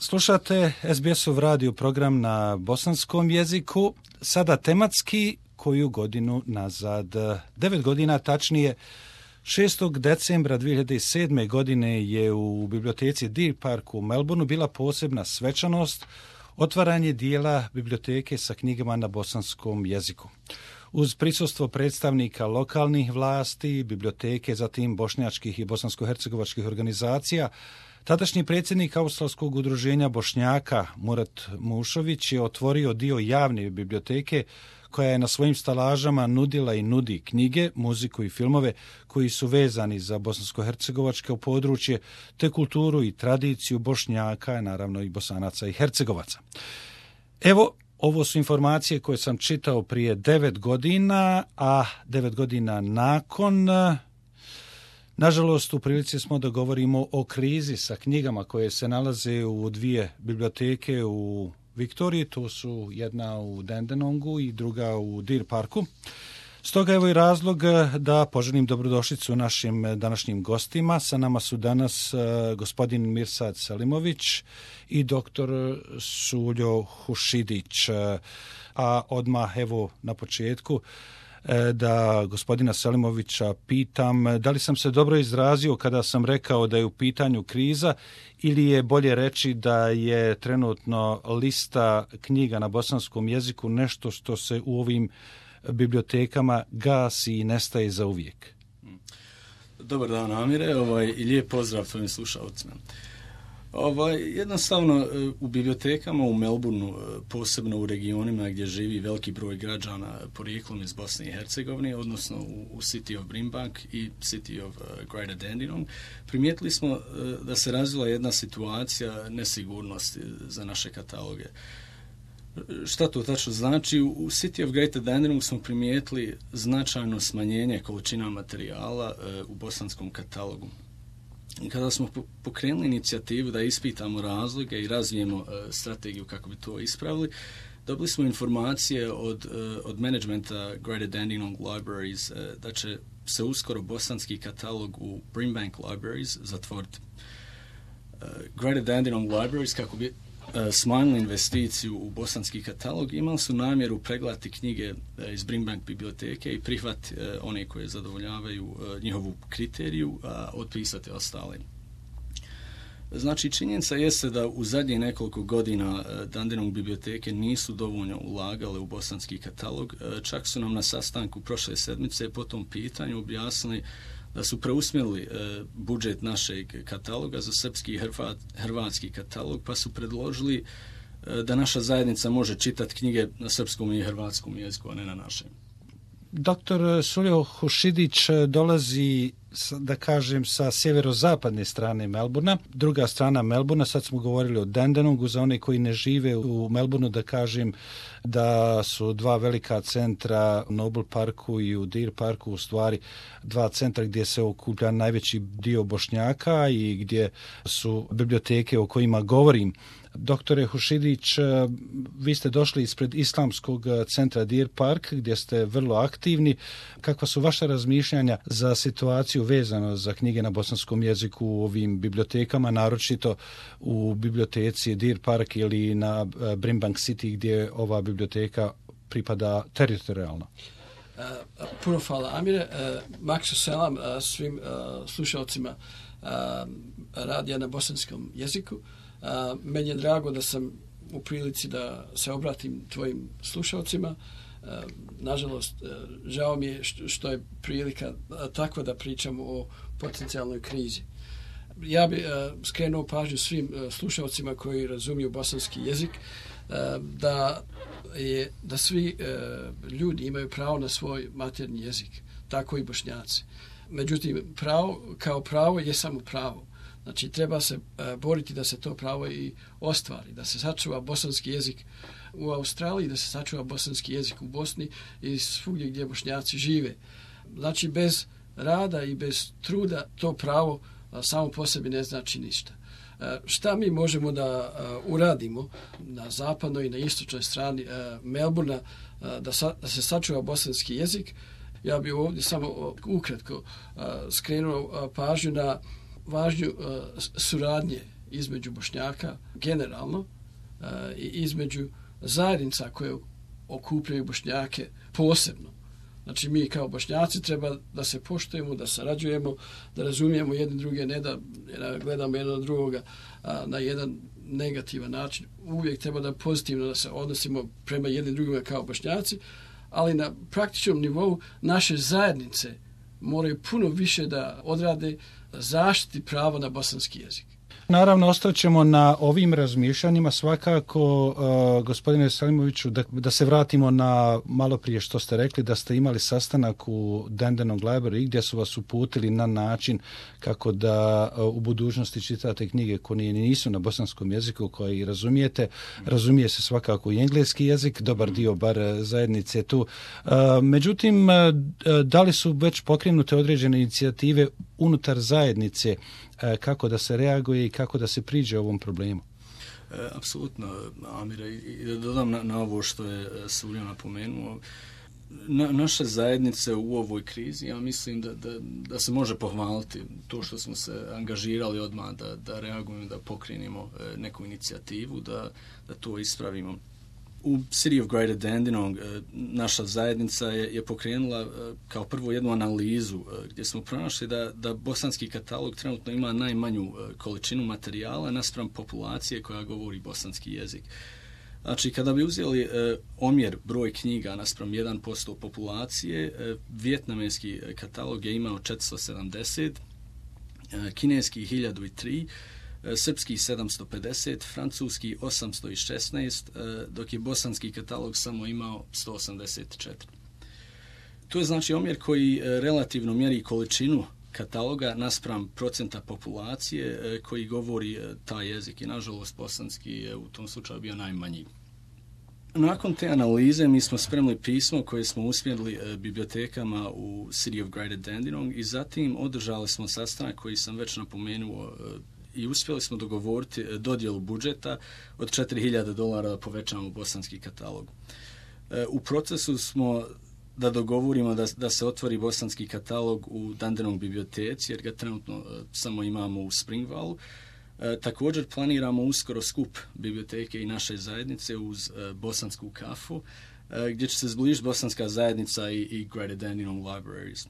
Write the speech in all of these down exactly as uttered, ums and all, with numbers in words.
Slušate es be esov radio program na bosanskom jeziku, sada tematski koju godinu nazad. Devet godina, tačnije šestog decembra dvije hiljade sedme. godine je u biblioteci Deer Park u Melbourneu bila posebna svečanost, otvaranje dijela biblioteke sa knjigama na bosanskom jeziku. Uz prisustvo predstavnika lokalnih vlasti, biblioteke, zatim bošnjačkih i bosansko-hercegovačkih organizacija, tadašnji predsjednik Australskog udruženja Bošnjaka Murat Mušović je otvorio dio javne biblioteke koja je na svojim stalažama nudila i nudi knjige, muziku i filmove koji su vezani za bosansko-hercegovačko područje, te kulturu i tradiciju Bošnjaka, naravno i Bosanaca i Hercegovaca. Evo, ovo su informacije koje sam čitao prije devet godina, a devet godina nakon, nažalost, u prilici smo da govorimo o krizi sa knjigama koje se nalaze u dvije biblioteke u Viktoriji, to su jedna u Dandenongu i druga u Deer Parku. Stoga evo i razlog da poželim dobrodošlicu našim današnjim gostima. Sa nama su danas uh, gospodin Mirsad Selimović i doktor Suljo Hušidić. Uh, a odmah evo na početku uh, da gospodina Selimovića pitam da li sam se dobro izrazio kada sam rekao da je u pitanju kriza ili je bolje reći da je trenutno lista knjiga na bosanskom jeziku nešto što se u ovim bibliotekama gasi i nestaje za uvijek. Dobar dan, Amire, ovaj, i lijep pozdrav tvojim slušalcima. Ovaj, jednostavno, u bibliotekama u Melbourneu, posebno u regionima gdje živi veliki broj građana porijeklom iz Bosne i Hercegovine, odnosno u, u City of Brimbank i City of uh, Greater Dandenong, primijetili smo uh, da se razvila jedna situacija nesigurnosti za naše kataloge. Šta to tačno znači? U City of Greater Dandenong smo primijetili značajno smanjenje količina materijala uh, u bosanskom katalogu. I kada smo pokrenuli inicijativu da ispitamo razloge i razvijemo uh, strategiju kako bi to ispravili, dobili smo informacije od, uh, od managementa Greater Dandenong Libraries uh, da će se uskoro bosanski katalog u Brimbank Libraries zatvoriti. Uh, Greater Dandenong Libraries, kako bi smanjili investiciju u bosanski katalog, imali su namjeru pregledati knjige iz Brimbank biblioteke i prihvat one koje zadovoljavaju njihovu kriteriju, a otpisati ostale. Znači, činjenica jeste da u zadnjih nekoliko godina Dandenong biblioteke nisu dovoljno ulagale u bosanski katalog. Čak su nam na sastanku prošle sedmice po tom pitanju objasnili da su preusmjerili e, budžet našeg kataloga za srpski i hrvat, hrvatski katalog, pa su predložili e, da naša zajednica može čitati knjige na srpskom i hrvatskom jeziku, a ne na našem. Doktor Suljo Hušidić dolazi, da kažem, sa sjeverozapadne strane Melbournea. Druga strana Melbournea, sad smo govorili o Dandenongu, za one koji ne žive u Melbourneu, da kažem da su dva velika centra u Noble Parku i u Deer Parku u stvari dva centra gdje se okuplja najveći dio Bošnjaka i gdje su biblioteke o kojima govorim. Doktore Hušidić, vi ste došli ispred Islamskog centra Deer Park gdje ste vrlo aktivni. Kakva su vaša razmišljanja za situaciju vezano za knjige na bosanskom jeziku u ovim bibliotekama, naročito u biblioteci Deer Park ili na Brimbank City gdje ova biblioteka pripada teritorijalno? Uh, puno hvala, Amire. Uh, Maksu selam uh, svim uh, slušalcima uh, radija na bosanskom jeziku. Uh, meni je drago da sam u prilici da se obratim tvojim slušalcima. Uh, nažalost, uh, žao mi je što, što je prilika uh, takva da pričamo o potencijalnoj krizi. Ja bih uh, skrenuo pažnju svim uh, slušalcima koji razumiju bosanski jezik uh, da, je, da svi uh, ljudi imaju pravo na svoj maternji jezik, tako i Bošnjaci. Međutim, pravo kao pravo je samo pravo. Znači, treba se uh, boriti da se to pravo i ostvari, da se sačuva bosanski jezik u Australiji, da se sačuva bosanski jezik u Bosni i svugdje gdje Bošnjaci žive. Znači, bez rada i bez truda to pravo uh, samo po sebi ne znači ništa. Uh, šta mi možemo da uh, uradimo na zapadnoj i na istočnoj strani uh, Melbournea uh, da, sa, da se sačuva bosanski jezik? Ja bih ovdje samo uh, ukratko uh, skrenuo uh, pažnju na važnju uh, suradnje između Bošnjaka generalno i između zajednica koje okupljaju Bošnjake posebno. Znači mi kao Bošnjaci treba da se poštujemo, da sarađujemo, da razumijemo jedni druge, ne da gledamo jedan od drugoga na jedan negativan način. Uvijek treba da pozitivno da se odnosimo prema jednim drugima kao Bošnjaci, ali na praktičnom nivou naše zajednice moraju puno više da odrade zaštiti pravo na bosanski jezik. Naravno, ostaćemo na ovim razmišljanjima svakako, uh, gospodine Selimoviću, da, da se vratimo na malo prije što ste rekli, da ste imali sastanak u Dandenong Library gdje su vas uputili na način kako da uh, u budućnosti čitate knjige koje nisu na bosanskom jeziku, koje i razumijete. Razumije se svakako i engleski jezik, dobar dio bar zajednice tu. Uh, međutim, uh, da li su već pokrenute određene inicijative unutar zajednice kako da se reaguje i kako da se priđe ovom problemu? E, apsolutno, Amire, i da dodam na, na ovo što je Sulja napomenuo, na, naše zajednice u ovoj krizi, ja mislim da, da, da se može pohvaliti to što smo se angažirali odmah da, da reagujemo, da pokrenemo neku inicijativu, da, da to ispravimo. U City of Greater Dandenong naša zajednica je, je pokrenula kao prvo jednu analizu gdje smo pronašli da, da bosanski katalog trenutno ima najmanju količinu materijala naspram populacije koja govori bosanski jezik. Znači, kada bi uzeli e, omjer broj knjiga naspram jedan posto populacije, e, vijetnamski katalog je imao četiristo sedamdeset, e, kineski hiljadu tri, srpski sedamsto pedeset, francuski osamsto šesnaest, dok je bosanski katalog samo imao sto osamdeset četiri. To je znači omjer koji relativno mjeri količinu kataloga naspram procenta populacije koji govori taj jezik i nažalost bosanski je u tom slučaju bio najmanji. Nakon te analize mi smo spremili pismo koje smo usmjerili bibliotekama u City of Greater Dandenong i zatim održali smo sastanak koji sam već napomenuo i uspjeli smo dogovoriti dodjelu budžeta od četiri hiljade dolara da povećamo bosanski katalog. U procesu smo da dogovorimo da, da se otvori bosanski katalog u Dandenong biblioteci, jer ga trenutno samo imamo u Springvallu. Također planiramo uskoro skup biblioteke i naše zajednice uz bosansku kafu, gdje će se zbližiti bosanska zajednica i, i Greater Dandenong Libraries.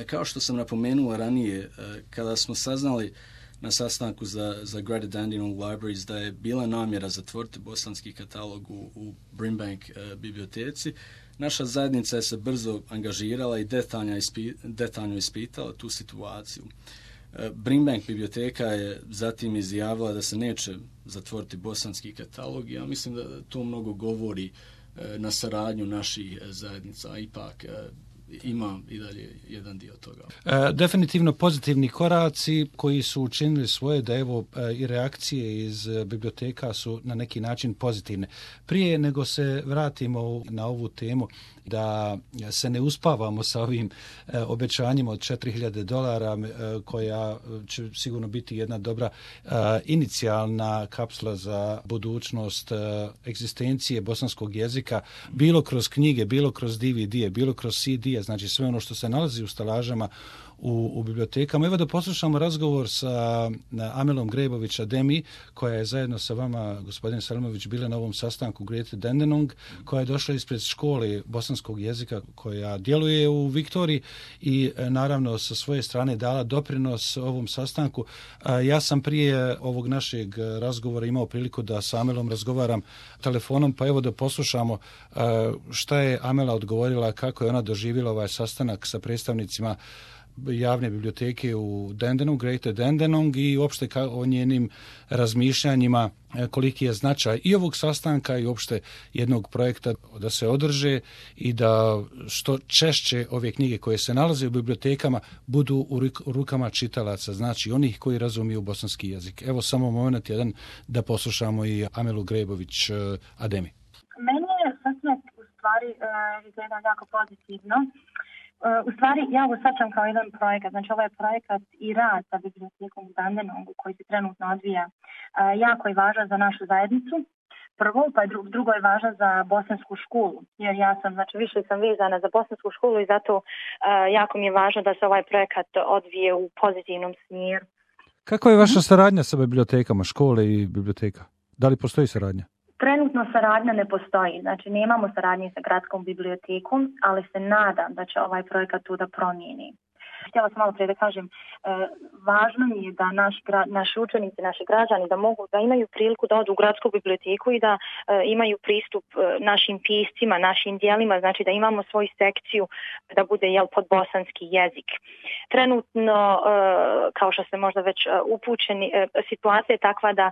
Kao što sam napomenula ranije, kada smo saznali na sastanku za, za Greater Dandenong Libraries da je bila namjera zatvoriti bosanski katalog u, u Brimbank uh, biblioteci, naša zajednica je se brzo angažirala i detaljno, ispi, detaljno ispitala tu situaciju. Uh, Brimbank biblioteka je zatim izjavila da se neće zatvoriti bosanski katalog i ja mislim da to mnogo govori uh, na saradnju naših zajednica, a ipak uh, ima i dalje jedan dio toga. E, definitivno pozitivni koraci koji su učinili svoje da evo e, i reakcije iz biblioteka su na neki način pozitivne. Prije nego se vratimo na ovu temu da se ne uspavamo sa ovim e, obećanjima od četiri hiljade dolara e, koja će sigurno biti jedna dobra e, inicijalna kapsula za budućnost e, egzistencije bosanskog jezika, bilo kroz knjige, bilo kroz D V D, bilo kroz C D, znači sve ono što se nalazi u stalažama u, u bibliotekama. Evo da poslušamo razgovor sa Amelom Grebović Ademi, koja je zajedno sa vama, gospodin Selimović, bila na ovom sastanku Greater Dandenong, koja je došla ispred škole bosanskog jezika koja djeluje u Viktoriji i naravno sa svoje strane dala doprinos ovom sastanku. Ja sam prije ovog našeg razgovora imao priliku da sa Amelom razgovaram telefonom, pa evo da poslušamo šta je Amela odgovorila, kako je ona doživjela ovaj sastanak sa predstavnicima javne biblioteke u Dandenong, Greater Dandenong i uopšte o njenim razmišljanjima koliki je značaj i ovog sastanka i uopšte jednog projekta da se održe i da što češće ove knjige koje se nalaze u bibliotekama budu u rukama čitalaca, znači onih koji razumiju bosanski jezik. Evo samo moment jedan da poslušamo i Amelu Grebović Ademi. Meni je sastanak u stvari izgleda jako pozitivno. U stvari, ja ovo shvaćam kao jedan projekat, znači ovo je projekat i rad sa bibliotekom u Dandenongu koji se trenutno odvija. Jako je važan za našu zajednicu, prvo, pa drugo je važan za bosansku školu, jer ja sam, znači više sam vezana za bosansku školu i zato jako mi je važno da se ovaj projekat odvije u pozitivnom smjeru. Kakva je vaša saradnja sa bibliotekama, škole i biblioteka? Da li postoji saradnja? Trenutno saradnja ne postoji, znači nemamo saradnje sa gradskom bibliotekom, ali se nadam da će ovaj projekat tu da promijeni. Htjela sam malo prije da kažem, e, važno mi je da naši, naši učenici, naši građani da mogu, da imaju priliku da odu u gradsku biblioteku i da e, imaju pristup e, našim piscima, našim dijelima, znači da imamo svoju sekciju da bude jel, pod bosanski jezik. Trenutno, e, kao što ste možda već upućeni, e, situacija je takva da e,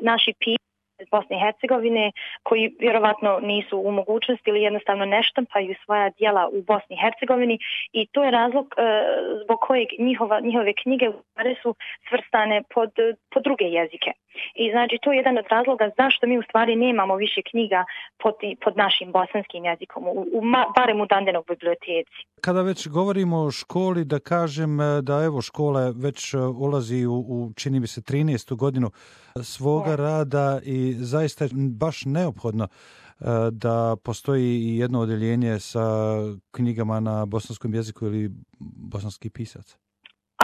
naši pisci iz Bosne i Hercegovine, koji vjerovatno nisu u mogućnosti ili jednostavno ne štampaju svoja djela u Bosni i Hercegovini i to je razlog e, zbog kojeg njihova, njihove knjige u stvari su svrstane pod, pod druge jezike. I znači to je jedan od razloga zašto mi u stvari nemamo više knjiga pod, pod našim bosanskim jezikom, u, u, barem u Dandenog biblioteci. Kada već govorimo o školi, da kažem da evo škola već ulazi u, u čini mi se trinaestu godinu svoga rada i zaista je baš neophodno da postoji i jedno odjeljenje sa knjigama na bosanskom jeziku ili bosanski pisac.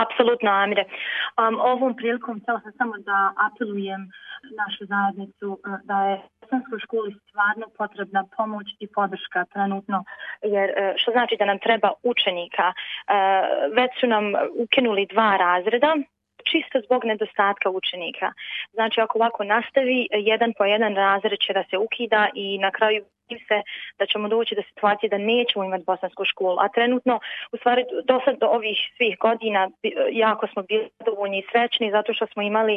Apsolutno, Amire. Um, ovom prilikom htjela sam samo da apelujem našu zajednicu da je bosanskoj školi stvarno potrebna pomoć i podrška trenutno, jer što znači da nam treba učenika. Već su nam ukinuli dva razreda, čisto zbog nedostatka učenika. Znači, ako ovako nastavi, jedan po jedan razred će da se ukida i na kraju se da ćemo doći do situacije da nećemo imati bosansku školu. A trenutno, u stvari, do sad do ovih svih godina jako smo bili zadovoljni i srećni zato što smo imali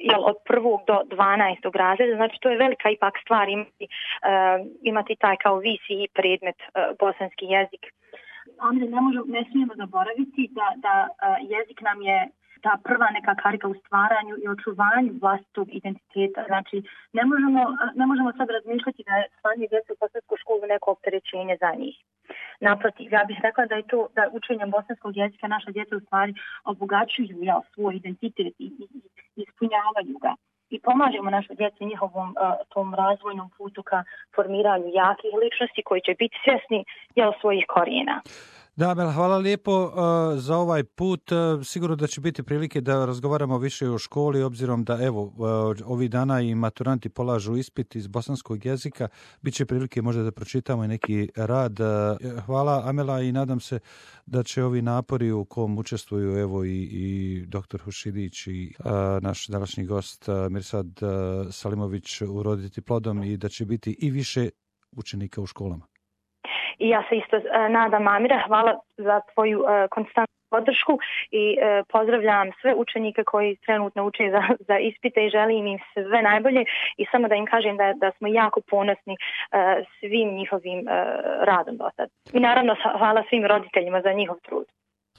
jel, od prvog do dvanaestog razreda. Znači, to je velika ipak stvar imati, uh, imati taj kao visi i predmet uh, bosanski jezik. Onda ne, možemo, ne smijemo zaboraviti da, da uh, jezik nam je ta prva neka karika u stvaranju i očuvanju vlastitog identiteta. Znači, ne možemo, ne možemo sad razmišljati da je slanje djece u bosansku školu neko opterećenje za njih. Naprotiv, ja bih rekla da je to, da učenjem bosanskog jezika naša djeca u stvari obogaćuju ja, svoj identitet i, i, i ispunjavaju ga. I pomažemo našoj djeci njihovom uh, tom razvojnom putu ka formiranju jakih ličnosti koji će biti svjesni jel, svojih korijena. Da, Amela, hvala lijepo uh, za ovaj put. Uh, sigurno da će biti prilike da razgovaramo više o školi, obzirom da evo uh, ovih dana i maturanti polažu ispit iz bosanskog jezika. Biće prilike možda da pročitamo i neki rad. Uh, hvala, Amela, i nadam se da će ovi napori u kom učestvuju evo i, i doktor Hušidić i uh, naš današnji gost uh, Mirsad uh, Salimović uroditi plodom i da će biti i više učenika u školama. I ja se isto uh, nadam, Amira, hvala za tvoju uh, konstantnu podršku i uh, pozdravljam sve učenike koji trenutno uče za, za ispite i želim im sve najbolje i samo da im kažem da, da smo jako ponosni uh, svim njihovim uh, radom do sad. I naravno hvala svim roditeljima za njihov trud.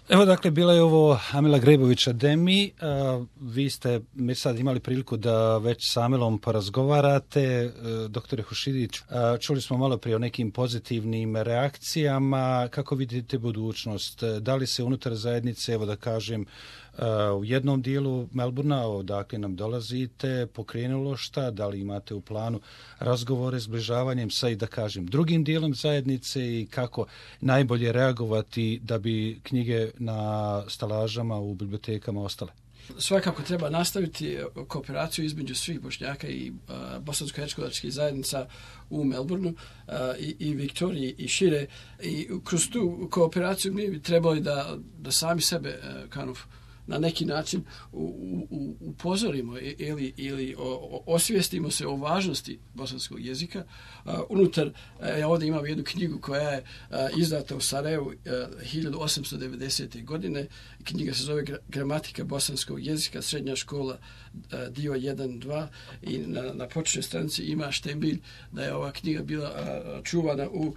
Evo dakle, bila je ovo Amela Grebović-Ademi. Uh, vi ste mi sad imali priliku da već s Amelom porazgovarate. Uh, doktore Hušidić, uh, čuli smo malo prije o nekim pozitivnim reakcijama. Kako vidite budućnost? Da li se unutar zajednice, evo da kažem, uh, u jednom dijelu Melbourna, odakle nam dolazite, pokrenulo šta? Da li imate u planu razgovore s zbližavanjem sa i da kažem drugim dijelom zajednice i kako najbolje reagovati da bi knjige na stalažama u bibliotekama ostale? Svakako treba nastaviti kooperaciju između svih Bošnjaka i uh, bosansko-hercegovačkih zajednica u Melbourneu uh, i, i Viktoriji i šire. I kroz tu kooperaciju mi bi trebali da, da sami sebe uh, kanov na neki način u, u, upozorimo ili, ili o, o, osvijestimo se o važnosti bosanskog jezika. Uh, unutar, uh, ja ovdje imam jednu knjigu koja je uh, izdata u Sarajevu uh, hiljadu osamsto devedesete. godine. Knjiga se zove Gramatika bosanskog jezika, srednja škola, uh, dio jedan dva i na, na početnoj stranici ima štembilj da je ova knjiga bila uh, čuvana u uh,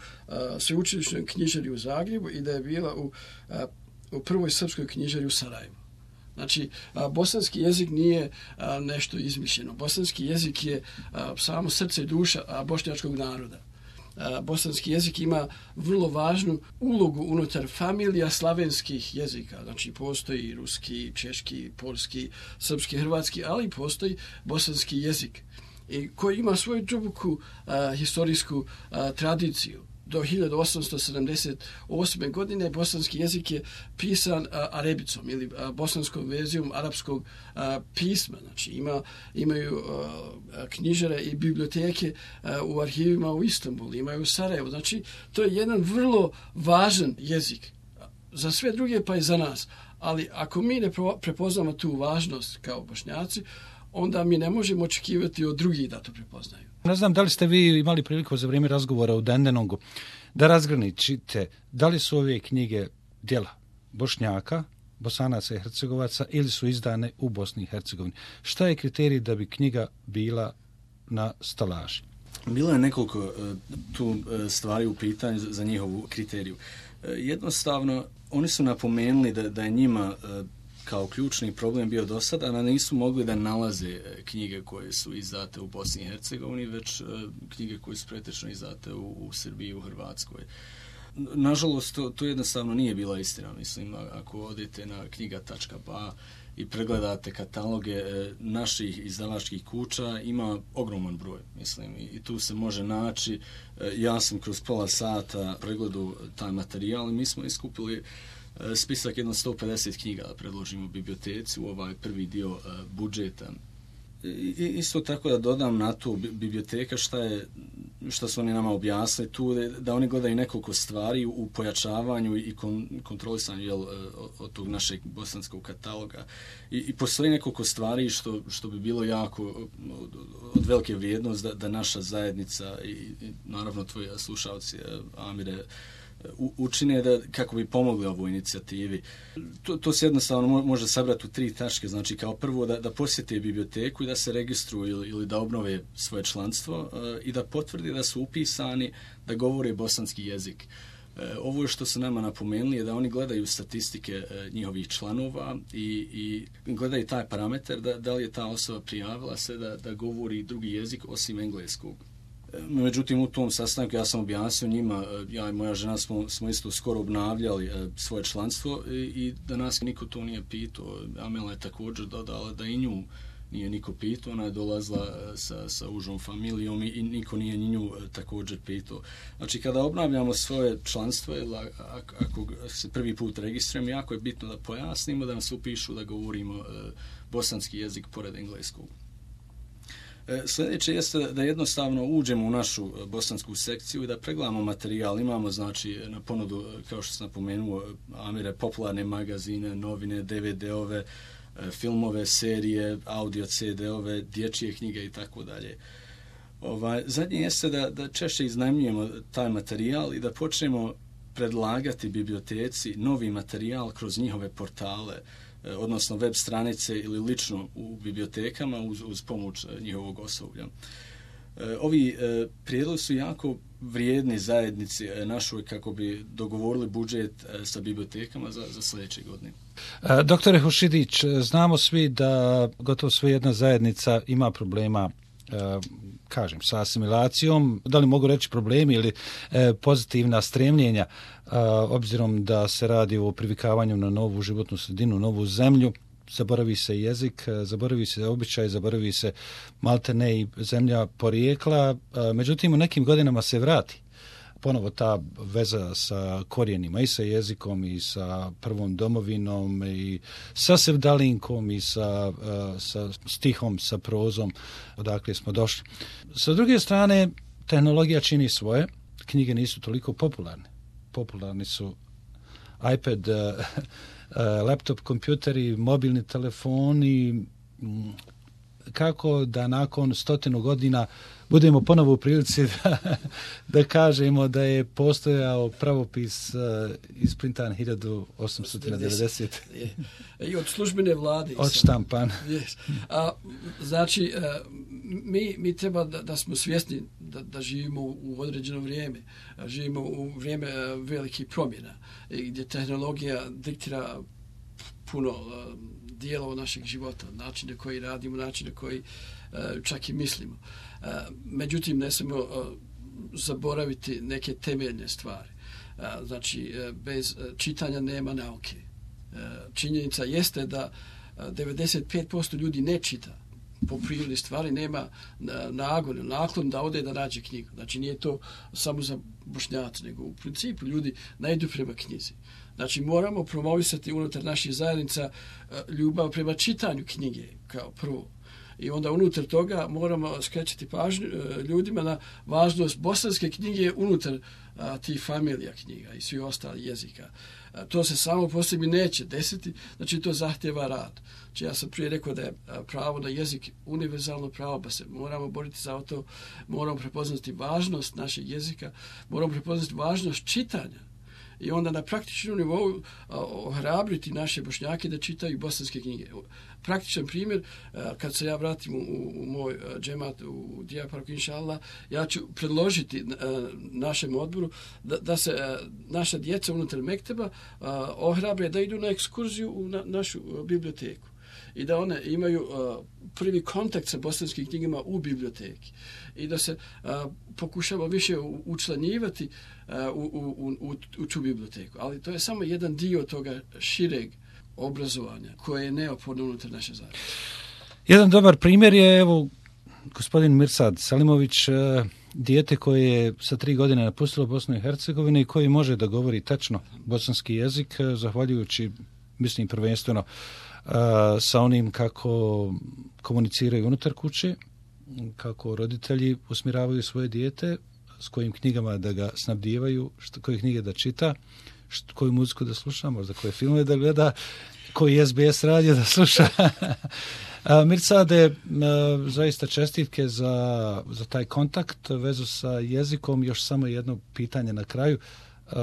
sveučilišnoj knjižari u Zagrebu i da je bila u, uh, u prvoj srpskoj knjižari u Sarajevu. Znači, a, bosanski jezik nije a, nešto izmišljeno. Bosanski jezik je a, samo srce i duša a, bošnjačkog naroda. A, bosanski jezik ima vrlo važnu ulogu unutar familija slavenskih jezika. Znači, postoji ruski, češki, poljski, srpski, hrvatski, ali postoji bosanski jezik i koji ima svoju duboku a, historijsku a, tradiciju. do hiljadu osamsto sedamdeset osme. godine bosanski jezik je pisan a, arabicom ili a, bosanskom verzijom arapskog a, pisma. Znači ima, imaju a, knjižare i biblioteke a, u arhivima u Istanbulu, imaju u Sarajevu. Znači to je jedan vrlo važan jezik za sve druge pa i za nas. Ali ako mi ne prepoznamo tu važnost kao Bošnjaci, onda mi ne možemo očekivati od drugih da to prepoznaju. Ne znam da li ste vi imali priliku za vrijeme razgovora u Dandenongu da razgraničite da li su ove knjige djela Bošnjaka, Bosanaca i Hercegovaca ili su izdane u Bosni i Hercegovini. Šta je kriterij da bi knjiga bila na stalaži? Bilo je nekoliko tu stvari u pitanju za njihovu kriteriju. Jednostavno, oni su napomenuli da, da je njima kao ključni problem bio do sada, a nisu mogli da nalaze knjige koje su izdate u Bosni i Hercegovini, već knjige koje su pretečno izdate u, u Srbiji i u Hrvatskoj. Nažalost, to, to jednostavno nije bila istina. Mislim, ako odete na knjiga tačka ba i pregledate kataloge naših izdavačkih kuća, ima ogroman broj, mislim, i tu se može naći. Ja sam kroz pola sata pregledu taj materijal i mi smo iskupili spisak jedno sto pedeset knjiga da predložimo biblioteci u ovaj prvi dio budžeta. I isto tako da dodam na to biblioteka šta je, šta su oni nama objasnili tu, da oni gledaju nekoliko stvari u pojačavanju i kontrolisanju jel, od tog našeg bosanskog kataloga. I, i postoji nekoliko stvari što, što bi bilo jako od, od velike vrijednost da, da naša zajednica i, i naravno tvoji slušalci, Amire, učine da, kako bi pomogli ovoj inicijativi. To, to se jednostavno može sabrati u tri tačke. Znači, kao prvo da, da posjete biblioteku i da se registruju ili, ili da obnove svoje članstvo uh, i da potvrdi da su upisani, da govore bosanski jezik. Uh, ovo je što su nama napomenuli je da oni gledaju statistike uh, njihovih članova i, i gledaju taj parametar da, da li je ta osoba prijavila se da, da govori drugi jezik osim engleskog. Međutim, u tom sastanku ja sam objasnio njima, ja i moja žena smo, smo isto skoro obnavljali svoje članstvo i, i da nas niko to nije pitao. Amela je također dodala da i nju nije niko pitao, ona je dolazila sa, sa užom familijom i, i niko nije nju također pitao. Znači, kada obnavljamo svoje članstvo, ako, ako se prvi put registrujemo, jako je bitno da pojasnimo, da nas upišu da govorimo bosanski jezik pored engleskog. Sljedeće jeste da jednostavno uđemo u našu bosansku sekciju i da pregledamo materijal. Imamo, znači, na ponudu, kao što sam napomenuo, Amire, popularne magazine, novine, de ve de-ove, filmove, serije, audio ce de-ove, dječje knjige i tako dalje. Ovaj, zadnje jeste da, da češće iznajmljujemo taj materijal i da počnemo predlagati biblioteci novi materijal kroz njihove portale, odnosno web stranice ili lično u bibliotekama uz, uz pomoć njihovog osoblja. Ovi prijedlozi su jako vrijedni zajednici našoj kako bi dogovorili budžet sa bibliotekama za, za sljedeće godine. Doktore Hušidić, znamo svi da gotovo sve jedna zajednica ima problema, kažem, sa asimilacijom, da li mogu reći problemi ili pozitivna stremljenja, obzirom da se radi o privikavanju na novu životnu sredinu, novu zemlju. Zaboravi se jezik, zaboravi se običaj, zaboravi se maltene i zemlja porijekla, međutim u nekim godinama se vrati ponovo ta veza sa korijenima i sa jezikom i sa prvom domovinom i sa sevdalinkom i sa, sa stihom, sa prozom odakle smo došli. Sa druge strane, tehnologija čini svoje, knjige nisu toliko popularne. Popularni su iPad, laptop, kompjuteri, mobilni telefoni. Kako da nakon stotinu godina budemo ponovo u prilici da, da kažemo da je postojao pravopis uh, isprintan hiljadu osamsto devedesete. I od službene vlade. Odštampan. Yes. A, znači, uh, mi, mi treba da, da smo svjesni da, da živimo u određeno vrijeme. Živimo u vrijeme uh, velikih promjena gdje tehnologija diktira puno uh, dijelova našeg života, način na koji radimo, način na koji uh, čak i mislimo. Uh, međutim, ne smemo uh, zaboraviti neke temeljne stvari. Uh, znači, uh, bez uh, čitanja nema nauke. Uh, činjenica jeste da uh, devedeset pet posto ljudi ne čita. po prirodi stvari nema nagon, naklon da ode da nađe knjigu. Znači nije to samo za Bošnjaci, nego u principu ljudi najdu prema knjizi. Znači moramo promovisati unutar naših zajednica ljubav prema čitanju knjige kao prvo. I onda unutar toga moramo skrećati pažnju ljudima na važnost bosanske knjige unutar a, tih familija knjiga i svih ostalih jezika. A, to se samo po sebi neće desiti, znači to zahtjeva rad. Znači ja sam prije rekao da je pravo na jezik univerzalno pravo, pa se moramo boriti za to, moramo prepoznati važnost našeg jezika, moramo prepoznati važnost čitanja. I onda na praktičnom nivou ohrabriti naše Bošnjake da čitaju bosanske knjige. Praktičan primjer, kad se ja vratim u, u moj džemat u Dijaparku, inša Allah, ja ću predložiti našem odboru da, da se naša djeca unutar mekteba ohrabre da idu na ekskurziju u na, našu biblioteku i da one imaju uh, prvi kontakt sa bosanskim knjigama u biblioteki i da se uh, pokušamo više učlanjivati uh, u, u, u, u tu biblioteku. Ali to je samo jedan dio toga šireg obrazovanja koje je neophodno unutar naše zajednice. Jedan dobar primjer je, evo, gospodin Mirsad Selimović, uh, dijete koje je sa tri godine napustilo Bosnu i Hercegovinu i koji može da govori tačno bosanski jezik, uh, zahvaljujući, mislim, prvenstveno Uh, sa onim kako komuniciraju unutar kuće, kako roditelji usmjeravaju svoje dijete, s kojim knjigama da ga snabdijevaju, što, koje knjige da čita, što, koju muziku da sluša, možda koje filmove da gleda, koji S B S radio da sluša. uh, Mirsade, uh, zaista čestitke za, za taj kontakt, vezu sa jezikom. Još samo jedno pitanje na kraju. Uh,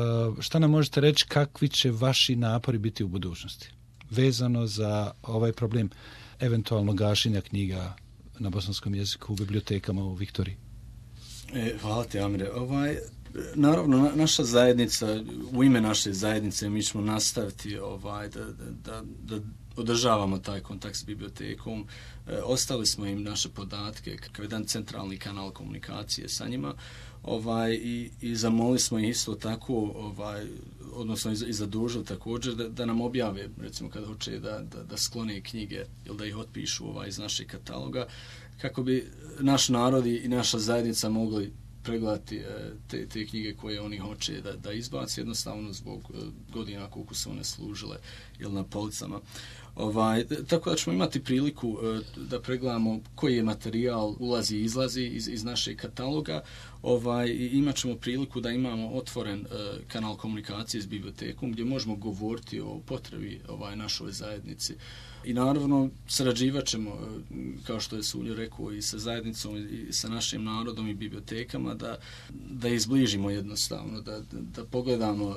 šta nam možete reći, kakvi će vaši napori biti u budućnosti vezano za ovaj problem eventualno gašenja knjiga na bosanskom jeziku u bibliotekama u Viktoriji? E, hvala ti, Amire. Ovaj, naravno, na, naša zajednica, u ime naše zajednice mi ćemo nastaviti ovaj, da, da, da održavamo taj kontakt s bibliotekom. E, ostali smo im naše podatke kao jedan centralni kanal komunikacije sa njima. Ovaj, i, i zamolili smo ih isto tako, ovaj, odnosno i zadužili također da, da nam objave, recimo kad hoće da, da, da sklone knjige ili da ih otpišu ovaj, iz našeg kataloga, kako bi naš narod i naša zajednica mogli pregledati te, te knjige koje oni hoće da, da izbaci, jednostavno zbog godina koliko su one služile ili na policama. Ovaj, tako da ćemo imati priliku da pregledamo koji je materijal ulazi i izlazi iz, iz našeg kataloga. Ovaj, i imat ćemo priliku da imamo otvoren uh, kanal komunikacije s bibliotekom gdje možemo govoriti o potrebi ovaj, našoj zajednici. I naravno sarađivat ćemo, uh, kao što je Suljo rekao, i sa zajednicom i sa našim narodom i bibliotekama da, da izbližimo jednostavno, da, da, da pogledamo uh,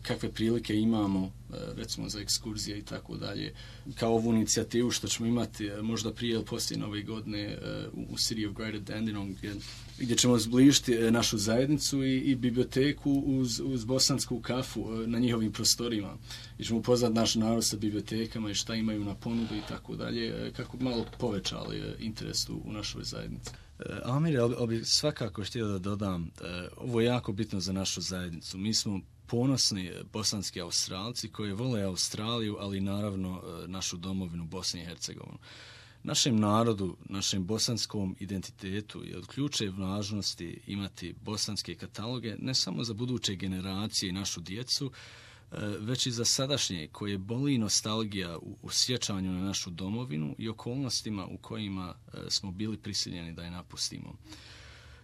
kakve prilike imamo, uh, recimo za ekskurzije i tako dalje. Kao ovu inicijativu što ćemo imati uh, možda prije ili poslije nove godine uh, u City of Greater Dandenong, gdje, gdje ćemo zbližiti našu zajednicu i, i biblioteku uz, uz bosansku kafu na njihovim prostorima. I ćemo upoznat naš narod sa bibliotekama i šta imaju na ponudu i tako dalje, kako bi malo povećali interes u, u našoj zajednici. Amir, ali bi svakako htio da dodam, ovo je jako bitno za našu zajednicu. Mi smo ponosni bosanski Australci koji vole Australiju, ali naravno našu domovinu Bosnu i Hercegovinu. Našem narodu, našem bosanskom identitetu je od ključne važnosti imati bosanske kataloge ne samo za buduće generacije i našu djecu, već i za sadašnje koje boli nostalgija u, u sjećanju na našu domovinu i okolnostima u kojima smo bili prisiljeni da je napustimo.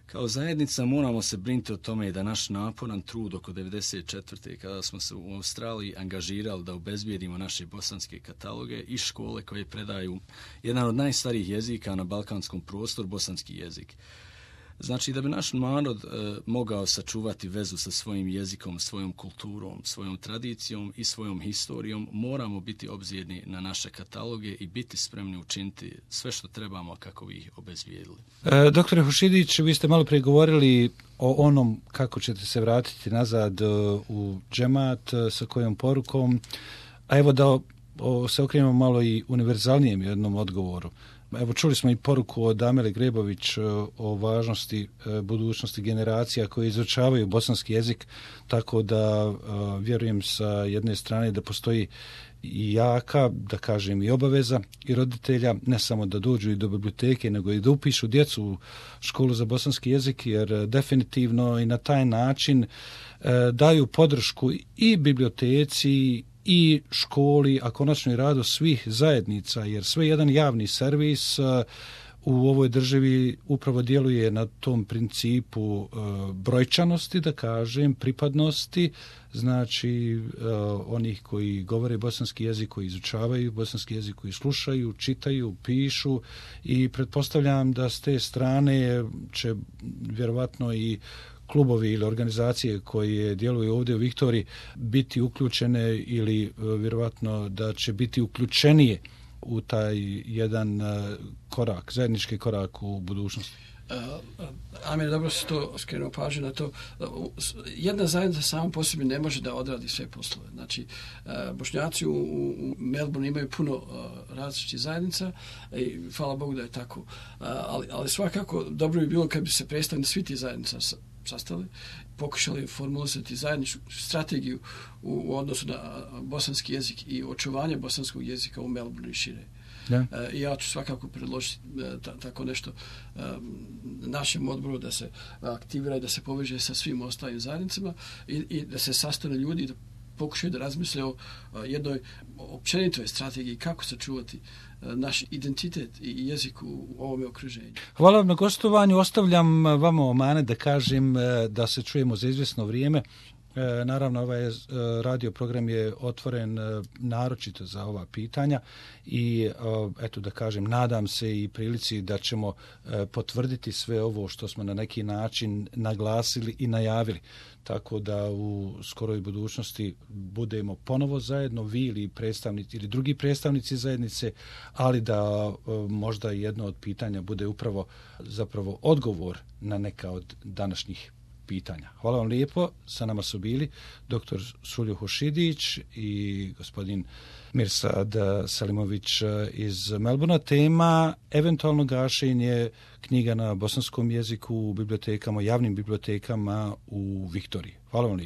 Kao zajednica moramo se brinuti o tome da naš naporan trud oko devedeset četvrte kada smo se u Australiji angažirali da obezbijedimo naše bosanske kataloge i škole koje predaju jedan od najstarijih jezika na balkanskom prostoru, bosanski jezik. Znači da bi naš narod e, mogao sačuvati vezu sa svojim jezikom, svojom kulturom, svojom tradicijom i svojom historijom, moramo biti obzirni na naše kataloge i biti spremni učiniti sve što trebamo kako bi ih obezbijedili. E, doktore Hušidić, vi ste malo prije govorili o onom kako ćete se vratiti nazad u džemat, sa kojom porukom, a evo da o, se okrenemo malo i univerzalnijem jednom odgovoru. Evo, čuli smo i poruku od Amele Grebović o važnosti budućnosti generacija koje izučavaju bosanski jezik, tako da vjerujem sa jedne strane da postoji i jaka, da kažem, i obaveza i roditelja, ne samo da dođu i do biblioteke, nego i da upišu djecu u školu za bosanski jezik, jer definitivno i na taj način daju podršku i biblioteci i školi, a konačno i radu svih zajednica, jer sve jedan javni servis u ovoj državi upravo djeluje na tom principu brojčanosti, da kažem, pripadnosti, znači onih koji govore bosanski jezik, koji izučavaju bosanski jezik, koji slušaju, čitaju, pišu, i pretpostavljam da s te strane će vjerovatno i klubovi ili organizacije koje djeluju ovdje u Viktoriji biti uključene ili vjerovatno da će biti uključenije u taj jedan korak, zajednički korak u budućnosti. Uh, Amir, dobro si to skrenuo pažnju na to. Jedna zajednica sama po sebi ne može da odradi sve poslove. Znači, uh, Bošnjaci u, u Melbourne imaju puno uh, različitih zajednica i hvala Bogu da je tako. Uh, ali, ali svakako dobro bi bilo kad bi se predstavnici svih tih zajednica sastali, pokušali formulisati zajedničku strategiju u, u odnosu na bosanski jezik i očuvanje bosanskog jezika u Melbourne i šire. Ja. I ja ću svakako predložiti ta, tako nešto um, našem odboru da se aktivira i da se poveže sa svim ostalim zajednicama i, i da se sastane ljudi i da pokušaju da razmisle o jednoj općenitoj strategiji kako sačuvati naš identitet i jezik u ovome okruženju. Hvala vam na gostovanju. Ostavljam vama omanet da kažem da se čujemo za izvjesno vrijeme. Naravno, ovaj radio program je otvoren naročito za ova pitanja i eto da kažem, nadam se i prilici da ćemo potvrditi sve ovo što smo na neki način naglasili i najavili. Tako da u skoroj budućnosti budemo ponovo zajedno, vi ili predstavnici ili drugi predstavnici zajednice, ali da možda jedno od pitanja bude upravo zapravo odgovor na neka od današnjih pitanja. Hvala vam lijepo. Sa nama su bili doktor Suljo Hušidić i gospodin Mirsad Selimović iz Melbourna. Tema eventualno gašenje knjiga na bosanskom jeziku u bibliotekama, javnim bibliotekama u Viktoriji. Hvala vam lijepo.